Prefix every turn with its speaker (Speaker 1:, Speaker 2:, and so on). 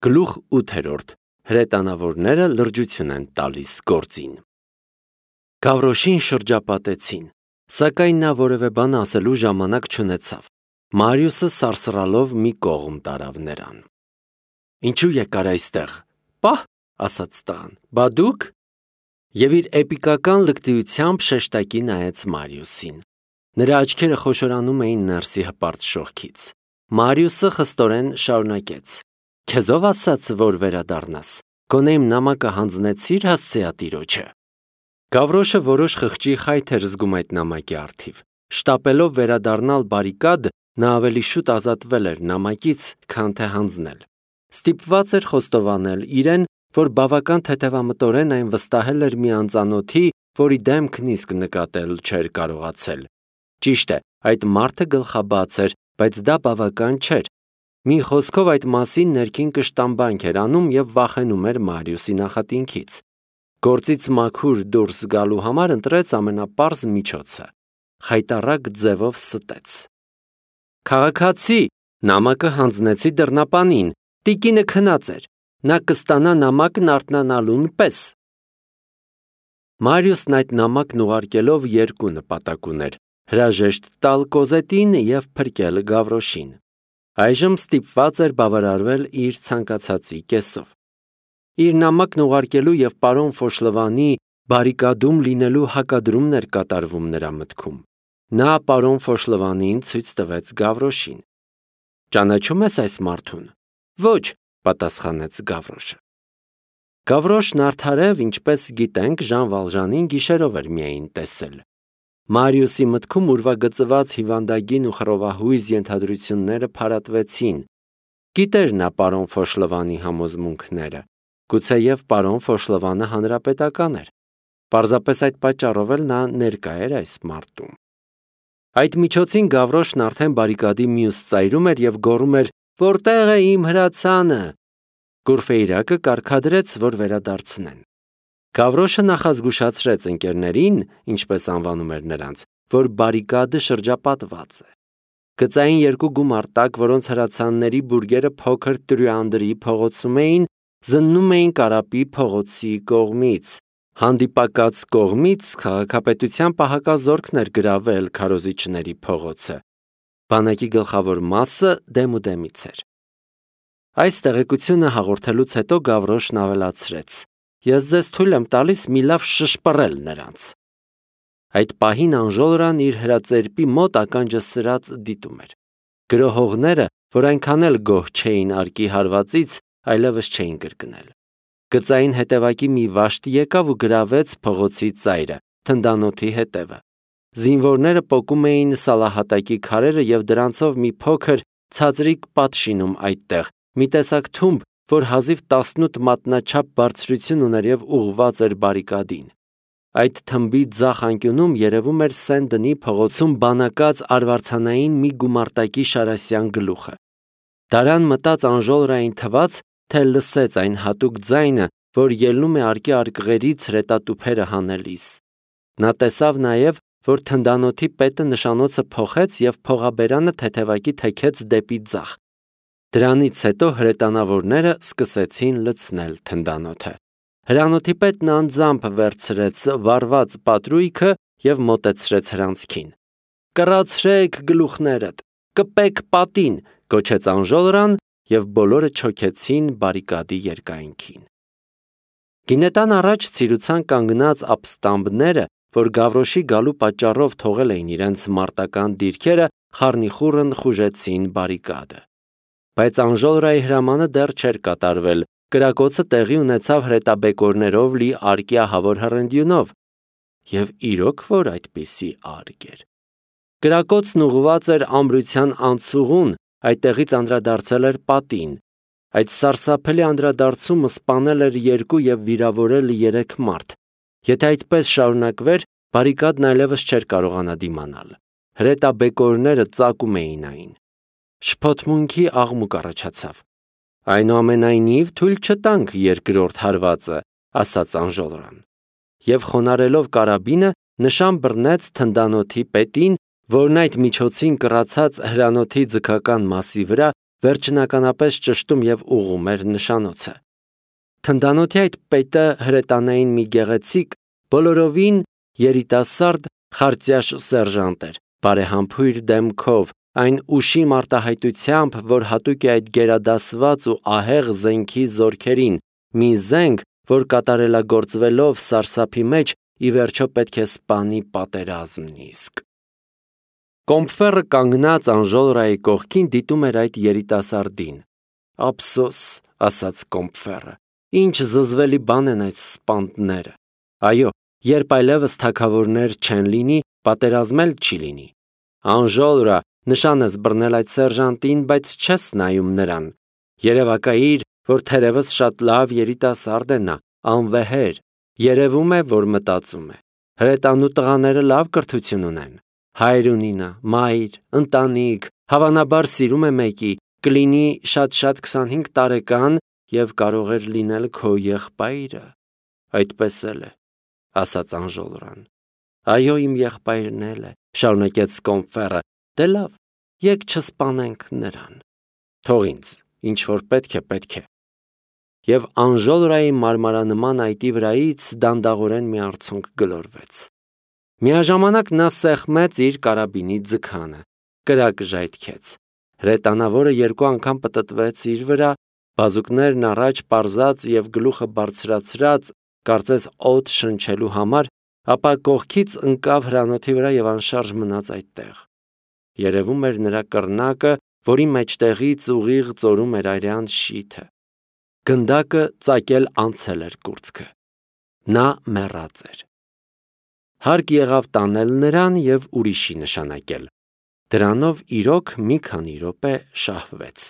Speaker 1: Գլուխ 8. Հրետանավորները լրջություն են տալիս գործին։ Գավրոշին շրջապատեցին, սակայն նա որևէ բան ասելու ժամանակ չունեցավ։ Մարիուսը սարսռալով մի կողմ տարավ նրան։ Ինչու եկար այստեղ։ Պահ, ասաց տղան, բա դուք։ Եվ իր էպիկական լկտիությամբ շեշտակի նայեց Մարիուսին։ Նրա աչքերը խոշորանում էին ներսի հպարտ շողքից։ Մարիուսը խստորեն շարունակեց. Քեզով ասաց, որ վերադառնաս, գոնե իմ նամակը հանձնեցիր հասցեատիրոջը։ Գավրոշը որոշ խղճի խայթ էր զգում այդ նամակի առթիվ։ Շտապելով վերադառնալ բարիկադ, նա ավելի շուտ ազատվել էր նամակից, քան թե հանձնել։ Ստիպված էր խոստովանել իրեն, որ բավական թեթևամտորեն այն վստահել էր մի անծանոթի, որի դեմքն իսկ նկատել չէր կարողացել։ Ճիշտ է, այդ մարդը գլխաբաց էր, բայց դա բավական չէր։ Մի խոսքով այդ մասին ներքին կշտամբանք էր անում և վախենում էր Մարիուսի նախատինքից։ Գործից մաքուր դուրս գալու համար ընտրեց ամենապարզ միջոցը։ Խայտառակ ձևով ստեց. Քաղաքացի, նամակը հանձնեցի դռնապանին, տիկինը քնած էր, նա կստանա նամակն արթնանալուն պես։ Մարիուսն այդ նամակն ուղարկելով երկու նպատակ ուներ՝ հրաժեշտ տալ Կոզետին և փրկել Գավրոշին։ Այժմ ստիպված էր բավարարվել իր ցանկացածի կեսով։ Իր նամակն ուղարկելու և պարոն Ֆոշլովանի բարիկադում լինելու հակադրումն էր կատարվում նրա մտքում։ Նա պարոն Ֆոշլովանին ցույց տվեց Գավրոշին։ Ճանաչում ես այս մարդուն։ Ոչ, պատասխանեց Գավրոշը։ Գավրոշն արդարև, ինչպես գիտենք, Ժան Վալժանին գիշերով էր միայն տեսել։ Մարիուսի մտքում ուրվագծված հիվանդագին ու խռովահույզ ենթադրությունները փարատվեցին։ Գիտեր նա պարոն Ֆոշլովանի համոզմունքները։ Գուցեև պարոն Ֆոշլովանը հանրապետական էր։ Պարզապես այդ պատճառով էլ նա ներկա էր այս մարտում։ Այդ միջոցին Գավրոշն արդեն բարիկադի մյուս ծայրում էր և գոռում էր. «Որտե՞ղ է իմ հրացանը»։ Կուրֆեյրակը կարգադրեց, որ վերադարձնեն։ Գավրոշը նախազգուշացրեց ընկերներին, ինչպես անվանում էր նրանց, որ բարիկադը շրջապատված է։ Գծային երկու գումարտակ, որոնց հրացանների բուրգերը փոքր Տրյուանդրի փողոցում էին, զննում էին Կարապի փողոցի կողմից։ Հանդիպակաց կողմից քաղաքապետության պահակազորքն էր գրավել քարոզիչների փողոցը։ Բանակի գլխավոր մասը դեմուդեմից էր։ Այս տեղեկությունը հաղորդելուց հետո Գավրոշն ավելացրեց. Ես ձեզ թույլ եմ տալիս մի լավ շշպռել նրանց։ Այդ պահին Անժոլրան իր հրածերպի մոտ ականջը սրած դիտում էր։ Գրոհողները, որ այնքան էլ գոհ չէին արկի հարվածից, այլևս չէին կրկնել։ Գծային հետևակի մի վաշտ եկավ ու գրավեց փողոցի ծայրը, թնդանոթի հետևը։ Զինվորները պոկում էին սալահատակի քարերը և դրանցով մի փոքր ցածրիկ պատ շինում այդտեղ, մի տեսակ թումբ, որ հազիվ 18 մատնաչափ բարձրություն ուներ և ուղղված էր բարիկադին։ Այդ թմբի ձախ անկյունում երևում էր Սեն-Դնի փողոցում բանակած արվարձանային մի գումարտակի շարասյան գլուխը։ Դարան մտած Անժոլրային թվաց, թե լսեց այն հատուկ ձայնը, որ ելնում է արկի արկղերից հրետատուփերը հանելիս։ Նա տեսավ նաև, որ թնդանոթի պետը նշանոցը փոխեց և փողաբերանը թեթևակի թեքեց դեպի ձախ։ Դրանից հետո հրետանավորները սկսեցին լցնել թնդանոթը։ Հրանոթի պետն անձամբ վերցրեց վառված պատրույգը և մոտեցրեց հրանցքին։ «Կռացրեք գլուխներդ, կպեք պատին», գոչեց Անժոլրան, և բոլորը չոքեցին բարիկադի երկայնքին։ Գինետան առաջ ցիրուցան կանգնած ապստամբները, որ Գավրոշի գալու պատճառով թողել էին իրենց մարտական դիրքերը, խառնիխուռն խուժեցին բարիկադը։ Բայց Անժոլրայի հրամանը դեռ չէր կատարվել։ Կրակոցը տեղի ունեցավ հրետաբեկորներով լի արկի ահավոր հռնդյունով։ Եվ իրոք որ այդպիսի արկ էր։ Կրակոցն ուղղված էր ամրության անցուղուն, այդտեղից անդրադարձել էր պատին։ Այդ սարսափելի անդրադարձումը սպանել էր 2 և վիրավորել 3 մարդ։ Եթե այդպես շարունակվեր, բարիկադն այլևս չէր կարողանա դիմանալ։ Հրետաբեկորները ծակում էին այն։ Շփոթմունքի աղմուկ առաջացավ։ Այնուամենայնիվ թույլ չտանք երկրորդ հարվածը, ասաց Անժոլրան։ Եվ խոնարելով կարաբինը նշան բռնեց թնդանոթի պետին, որն այդ միջոցին կռացած հրանոթի ձգական մասի վրա վերջնականապես ճշտում եւ ուղղում էր նշանոցը։ Թնդանոթի այդ պետը հրետանային մի գեղեցիկ, բոլորովին երիտասարդ խարծյաշ սերժանտ էր, բարեհամբույր դեմքով, այն ուշի մարտահայտությամբ, որ հատուկ է այդ գերադասված ու ահեղ զենքի զորքերին, մի զենք, որ կատարելագործվելով սարսափի մեջ ի վերջո պետք է սպանի պատերազմն իսկ։ Կոմֆերը կանգնած Անժոլրայի կողքին դիտում էր այդ երիտասարդին։ Ափսոս, ասաց Կոմֆերը, ինչ զզվելի բան են այս սպանդները։ Այո, երբ այլևս թագավորներ չեն լինի, պատերազմել չի լինի։ Անժոլրա, նշան ես բռնել այդ սերժանտին, բայց չես նայում նրան։ Երևակայիր, որ թերևս շատ լավ երիտասարդ է նա, անվեհեր, երևում է, որ մտածում է։ Հրետանու տղաները լավ կրթություն ունեն։ Հայր ունի նա, մայր, ընտանիք, հավանաբար սիրում է մեկի, կլինի շատ-շատ 25 տարեկան և կարող էր լինել քո եղբայրը։ Այդպես էլ է, ասաց Անժոլրան։ Այո, իմ եղբայրն էլ է, շարունակեց Կոմֆերը, դե լավ, եկ չսպանենք նրան։ Թող ինձ, ինչ որ պետք է։ Եվ Անժոլրայի մարմարանման այտի վրայից դանդաղորեն մի արցունք գլորվեց։ Միաժամանակ նա սեղմեց իր կարաբինի ձգանը, կրակ ժայթքեց։ Հրետանավորը 2 անգամ պտտվեց իր վրա, բազուկներն առաջ պարզած և գլուխը բարձրացրած, կարծես օդ շնչելու համար, ապա կողքից ընկավ հրանոթի վրա և անշարժ մնաց այդտեղ։ Երևում էր նրա կռնակը, որի մեջտեղից ուղիղ ծորում էր արյան շիթը։ Գնդակը ծակել անցել էր կուրծքը։ Նա մեռած էր։ Հարկ եղավ տանել նրան և ուրիշի նշանակել։ Դրանով իրոք մի քանի րոպե շահվեց։